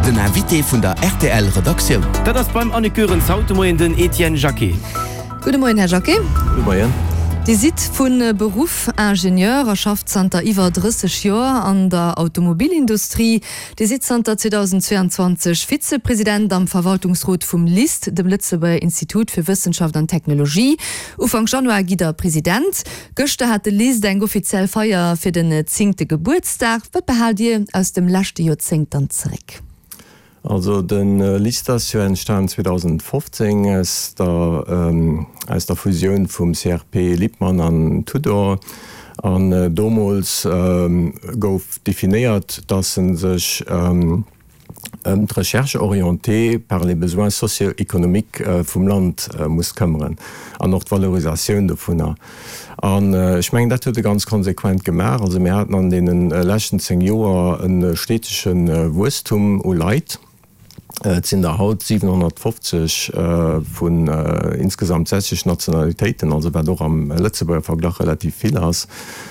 Den Invité vun der rtl Redaktioun. Dat ass beim Annick Goerens haut de Moien den Etienne Jacquet. Gudde Moien, Här Jacquet. Gudde Moien. Dir sidd vu Beruff Ingenieur a schafft zanter iwwer 30 Joer an der Automobilindustrie. Dir sidd zanter 2022 Vizepresident am Verwaltungsrot vum LIST, dem Lëtzebuerger Institut fir Wëssenschaft an Technologie. Ufank Januar gitt Der President. Gëschter hat de LIST eng offiziell Feier fir den zéngte Gebuertsdag. Wat behaalt Dir aus dem leschte Joerzéngt dann zeréck? Also de LIST ass jo entstan 2015 aus der aus der Fusioun vum CRP Lippmann an Tudor. An domols gouf definéiert, dass en sech ëm d'Recherche orientée par les besoins socio-économiques vum Land muss këmmeren an och d'Valorisatioun dovunner. An ech mengen, dat huet e ganz konsequent gemaach. Also mir haten an deene leschten 10 Joer e stetege Wuesstum u Leit. Et sinn der haut 750 vun insgesamt 60 Nationalitéiten, also wat och am Lëtzebuerger Verglach relativ vill ass.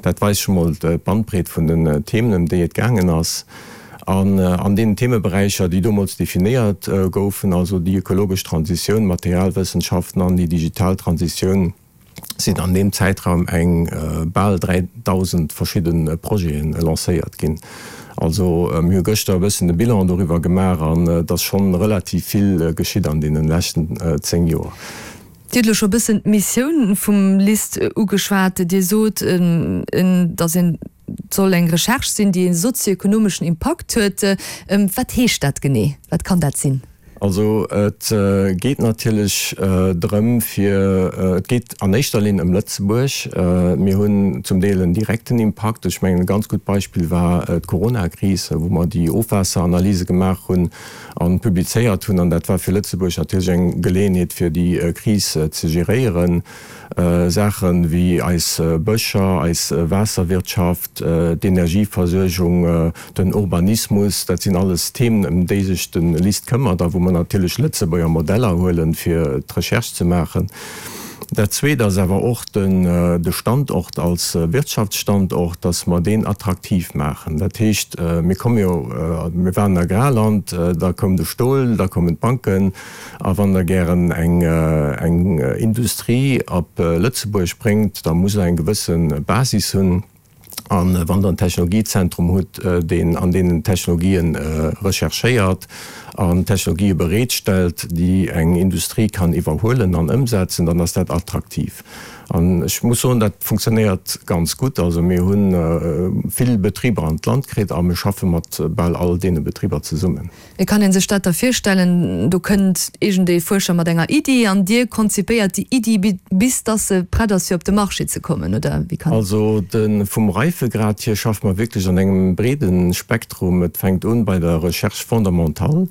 Dat weist scho mol d'Bandbreet vun den Themen, ëm déi et gaangen ass. An an deenen Themeberäicher, déi domols definéiert goufen, also déi ökologesch Transitioun, d'Materialwëssenschaften an déi digital Transitioun, sinn an deem Zäitraum eng bal 3.000 verschidde Projete lancéiert ginn. Also mir hu gëschter e bëssen de Bilan doriwwer gemaach an et ass schonn relativ vill geschitt an deene leschten 10 Joer. Dir hutt elo scho e bëssen d'Missioun vum LIST ugeschwat. Dir sot, datt een Et soll eng Recherche sinn, déi ee sozioekonomeschen Impakt huet. Wat heescht dat genee? Wat kann dat sinn? Also et geet natierlech drëm fir, et geet an éischter Linn ëm Lëtzebuerg. Mir hunn zum Deel en direkten Impakt. Ech mengen e ganz gutt Beispill war d'Coronakris, wou mer déi Ofwaasseranalyse gemaach hunn a publizéiert hunn. An dat war fir Lëtzebuerg natierlech eng Geleeënheet fir déi Kris ze geréieren. Saache wéi eis Bëscher, eis Waasserwirtschaft, d'Energieversuergung, den Urbanismus, dat sinn alles Themen, ëm déi sech de LIST këmmert a wou mer natierlech Lëtzebuerger Modeller huelen, fir d'Recherche ze maachen. Dat Zweet ass awer och de Standort als Wirtschaftsstandort, dass mer deen attraktiv maachen. Dat heescht, mir komme jo, mir waren en Agrarland, da koum de Stol, da koumen d'Banken, A wann Der gären eng eng Industrie op Lëtzebuerg bréngt, da musst Der eng gewësse Basis hunn. A wann Der en Technologiezentrum hutt, deen an deenen Technologien recherchéiert an Technologië bereetstellt, déi eng Industrie kann iwwerhuelen an ëmsetzen, dann ass dat attraktiv. An ech muss soen, dat funktionéiert ganz gutt. Also mir hu vill Betriber an d'Land kritt a mir schaffe mat bal all deene Betriber zesummen. Wéi kann een sech dat da virstellen? Do kënnt iergendee Fuerscher mat enger Iddi an Dir konzipéiert déi Iddi bis dass se prett ass fir op de Marché ze kommen, oder wéi kann. Also de vum Reifegrad hier schaffe mer wierklech an engem breede Spektrum. Et fänkt un bei der Recherche fondamentale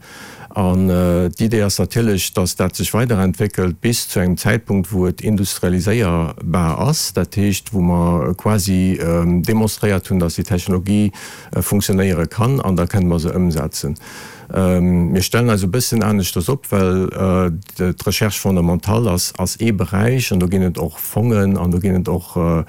an d'Idee ass natierlech, dass dat sech weiderentwéckelt bis zu engem Zäitpunkt wou et industrialiséierbar ass, dat heescht wou mer quasi demonstréiert hunn, dass déi Technologie funktionéiere kann an da kënne mer se ëmsetzen. Mir stellen eis e bëssen aneschters op, well d'Recherche fondamentale ass ass ee Beräich an do ginn et och Fongen an do ginn et och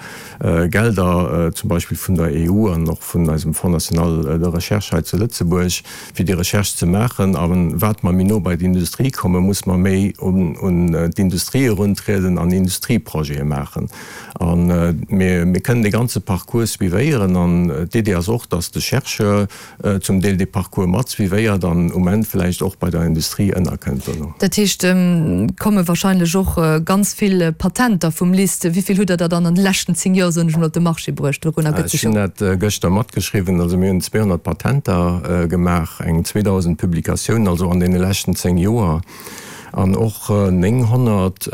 Gelder, zum Beispill vun der EU an och vun eisem Fonds national de recherche hei zu Lëtzebuerg, fir déi Recherche ze maachen. A wat mer méi no bei d'Industrie kommen, muss mer méi un d'Industrie eruntrieden an Industrieprojete maachen. A mir kënnen dee ganze Parcours suivéieren. An d'Idee ass och, dass de Chercheur zum Deel dee Parcours mat suivéiert an um Enn vläicht och bei der Industrie ënnerkënnt dono. Dat heescht, et komme wahrscheinlech och ganz vill Patenter vum LIST. Wéi vill hutt Der der dann an de leschten 10 Joer, soen ech emol, op de Marché bruecht? Dorunner gëtt sech jo. Ech hunn dat gëschter matgeschriwwen. Also mir hunn 200 Patenter gemaach, eng 2.000 Publikatiounen, also an deene leschten 10 Joer, an och 900.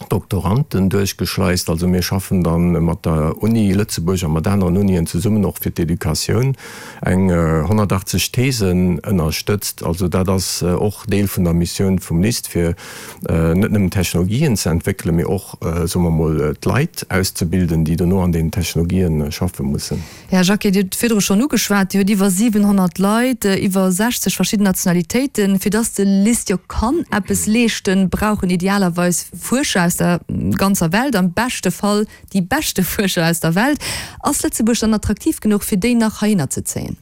Doktoranden duerchgeschleist. Also mir schaffen da mat der Uni Lëtzebuerg a mat aneren Unien zesummen, och fir d'Educatioun, eng 180 Thesen ënnerstëtzt. Also dat ass och Deel vun der Missioun vum LIST, fir net nëmmen Technologien ze entwéckelen, mee och, soe mer mol, d'Leit auszebilden, déi dono an deenen Technologien schaffe mussen. Här Jacquet, Dir hutt et virdru schonn ugeschwat, Dir hutt iwwer 700 Leit, iwwer 60 verschidden Nationalitéiten. Fir dass de LIST jo kann eppes leeschten, brauch en idealerweis Fuerscher aus der ganzer Welt, am beschte Fall déi beschte Fuerscher aus der Welt. Ass Lëtzebuerg dann attraktiv genuch, fir déi nach heihinner ze zéien?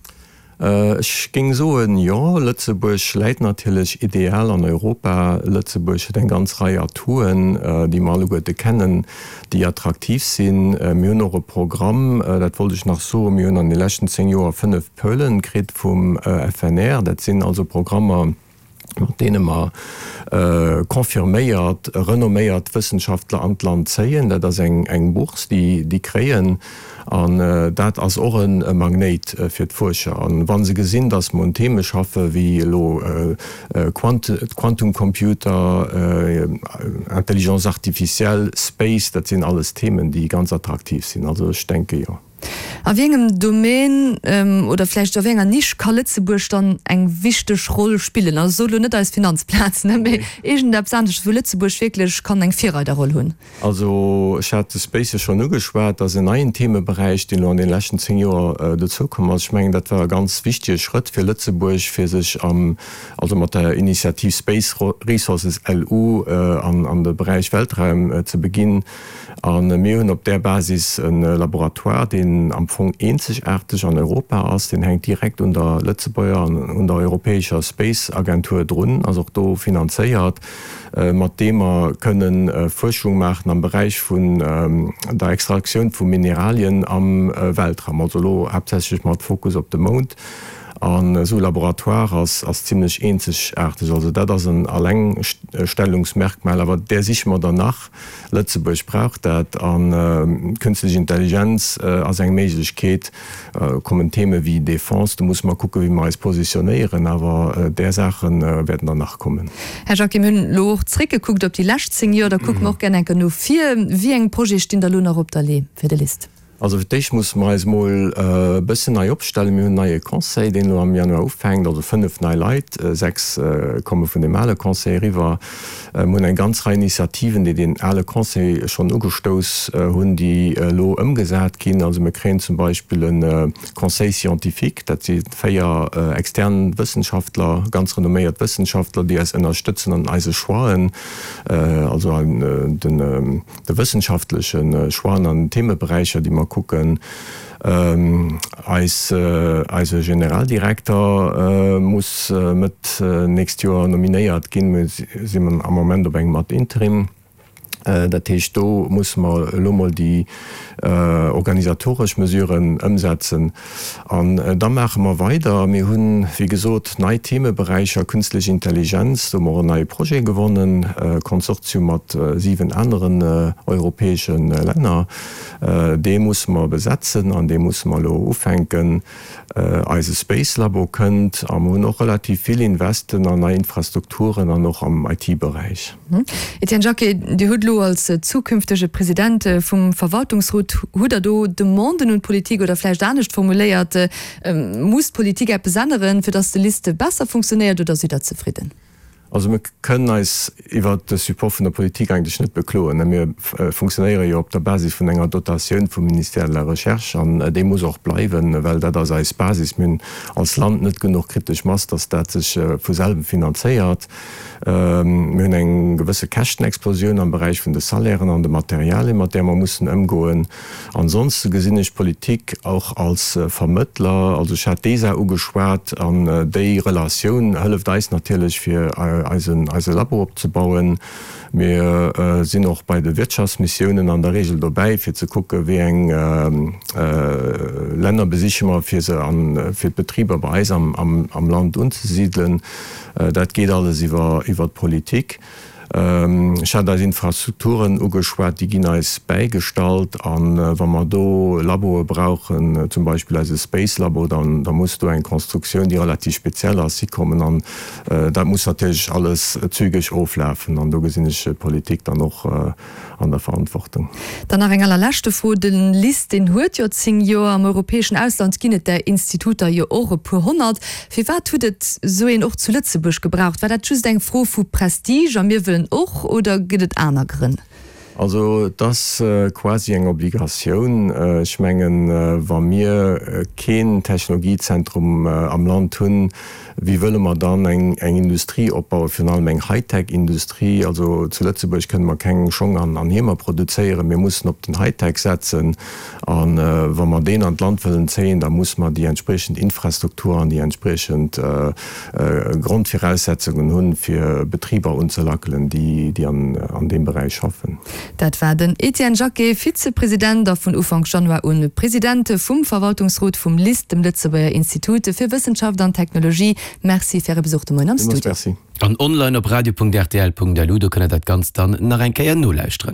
Ech géing soen, jo. Lëtzebuerg läit natierlech ideal an Europa. Lëtzebuerg huet eng ganz Rei Atouen, déi mer alleguerte kennen, déi attraktiv sinn. Mir hunn och e Programm, dat wollt ech nach soen, mir hunn an de leschten 10 Joer 5 Pölen kritt vum FNR. Dat sinn also Programmer, mat deene mer confirméiert, renomméiert Wëssenschaftler an d'Land zéien. Dat ass eng Bourse, déi déi kréien. An dat ass och e Magnéit fir d'Fuerscher. An wa se gesinn, datt mer un Theme schaffe wéi elo Quantumcomputer, Intelligence artificielle, Space, dat sinn alles Themen, déi ganz attraktiv sinn. Also ech denke jo. A wéi engem Domaine oder vläicht a wéi enger Nisch ka Lëtzebuerg dann eng wichteg Roll spillen? Also ech soe lo net eis Finanzplaz, ne, mee iergendeppes anesches, wou Lëtzebuerg wierklech kann eng Virreiderroll hunn. Also ech hat de Space jo schonn ugeschwat, dat ass en neien Themeberäich, deen elo an deene leschten 10 Joer dozoukomm ass. Ech mengen, dat war e ganz wichtege Schrëtt fir Lëtzebuerg, fir sech am, also mat der Initiativ Space Resources LU an de Beräich Weltraum ze beginn. A mir hunn op där Basis e Laboratoire, deen am Fong eenzegaarteg an Europa ass. Deen hänkt direkt un der Lëtzebuerger an un der europäescher Space Agentur drun, ass och do finanzéiert, mat deem mer kënnen Fuerschung maachen am Beräich vun der Extraktioun vu Mineralien am Weltraum, also elo haaptsächlech mat Fokus op de Mound. An esou e Laboratoire ass ass zimlech eenzegaarteg. Also dat ass en Allengstellungsmerkmal, awer där siche mer der nach. Lëtzebuerg brauch dat an d'künstlech Intelligenz ass eng Méiglechkeet. Kommen Theme wéi Defense, do musse mer kucken, wéi mer eis positionéieren, awer där Saache wäerten der nach kommen. Här Jacquet, mir hunn elo och zréckgekuckt op déi lescht 10 Joer, da kucke mer och gär enke no vir. Wéi eng Projete stinn da elo nach op der Lee fir de LIST? Also fir d'éischt musse mer eis mol e bëssen nei opstellen. Mir hunn en neie Conseil, deen elo am Januar ufänkt, also 5 nei Leit, 6 komme vun deem ale Conseil eriwwer. Mir hunn eng ganz Rei Initiativen, déi deen ale Conseil schonn ugestouss hunn, déi elo ëmgesat ginn. Also mir kréien zum Beispill e Conseil scientifique, dat si 4 extern Wëssenschaftler, ganz renomméiert Wëssenschaftler, déi eis ënnerstëtzen an eise Choixen, also an den, de wëssenschaftleche Choixen an den Themeberäicher, déi mer kucken. Eis, eise Generaldirekter muss Mëtt nächst Joer nominéiert ginn. Mir sinn am Moment op engem ad interim. Dat heescht, do musse mer elo mol déi organisatoresch Mesuren ëmsetzen. An da maache mer weider. Mir hunn, wéi gesot, nei Themeberäicher, Künstlich Intelligenz, do hu mer och en neie Projet gewonnen, e Konsortium mat 7 aneren europäesche Länner. Dee musse mer besetzen an dee musse mer elo ufänken. Eise Space Labo kënnt a mer hunn och relativ vill Investen an nei Infrastrukturen an och am IT-Beräich. Etienne Jacqué, Dir hutt elo als zukünftege President vum Verwaltungsrot, hutt Der do Demanden un d'Politik oder vläicht anescht formuléiert, muss d'Politik eppes änneren, fir datt de LIST besser funktionéiert oder sidd Der zefridden? Also mir kënnen eis iwwert de Support vun der Politik eigentlech net bekloen. Mir funktionéiere jo op der Basis vun enger Dotatioun vum Ministère de la Recherche an déi muss och bleiwen, well dat ass eis Basis. Mir hunn als Land net genuch kritesch Mass, datt dat sech vu selwem finanzéiert. Mir hunn eng gewësse Käschtenexplosioun am Beräich vun de Salairen an de Materialien, mat där mer mussen ëmgoen. Ansonste gesinn ech d'Politik och als Vermëttler. Also ech hat d'ESA ugeschwat an déi Relatioun hëlleft eis natierlech, fir eisen, eise Labo opzebauen. Mir sinn och bei de Wirtschaftsmissiounen an der Regel dobäi, fir ze kucke wéi eng Länner besiche mer, fir se an, fir d'Betriber bei eis am, am Land unzesidelen. Dat geet alles iwwer d'Politik. Ech hat eis Infrastrukturen ugeschwat, déi ginn eis bäigestallt. A wa mer do Laboe brauchen, zum Beispill eise Space Labo, da muss do eng Constructioun, déi relativ speziell ass, hikommen. An dat muss natierlech alles zügeg oflafen. An do gesinn ech d'Politik dann och an der Verantwortung. Dann nach eng allerleschte Fro, De LIST, deen huet jo 10 Joer. Am europäeschen Ausland ginn et där Instituter jo och e puer honnert. Firwat hutt et esou een och zu Lëtzebuerg gebraucht? War dat just eng Fro vu Prestige a mir wëllen och, oder gëtt et aner Grënn? Also et ass quasi eng Obligatioun. Ech mengen, wa mir keen Technologiezentrum am Land hunn, wéi wëlle mer dann eng Industrie opbauen, virun allem eng Hightech-Industrie? Also zu Lëtzebuerg kënne mer keng Schong an Hiemer produzéieren. Mir mussen op den Hightech setzen. A wa mer deen an d'Land wëllen zéien, da muss mer déi entspriechend Infrastruktur an déi entspriechend Grondviraussetzungen hunn, fir Betriber unzelackelen, déi an deem Beräich schaffen. Dat war den Etienne Jacqué, Vizepresident a vun Ufank Januar un President vum Verwaltungsrot vum LIST, dem Lëtzebuerger Institut fir Wëssenschaft an Technologie. Merci fir Äre Besuch de Moien am Studio. Villmools Merci. An online op radio.rtl.lu, do kënnt der dat Ganzt dann nach eng Kéier nolauschteren.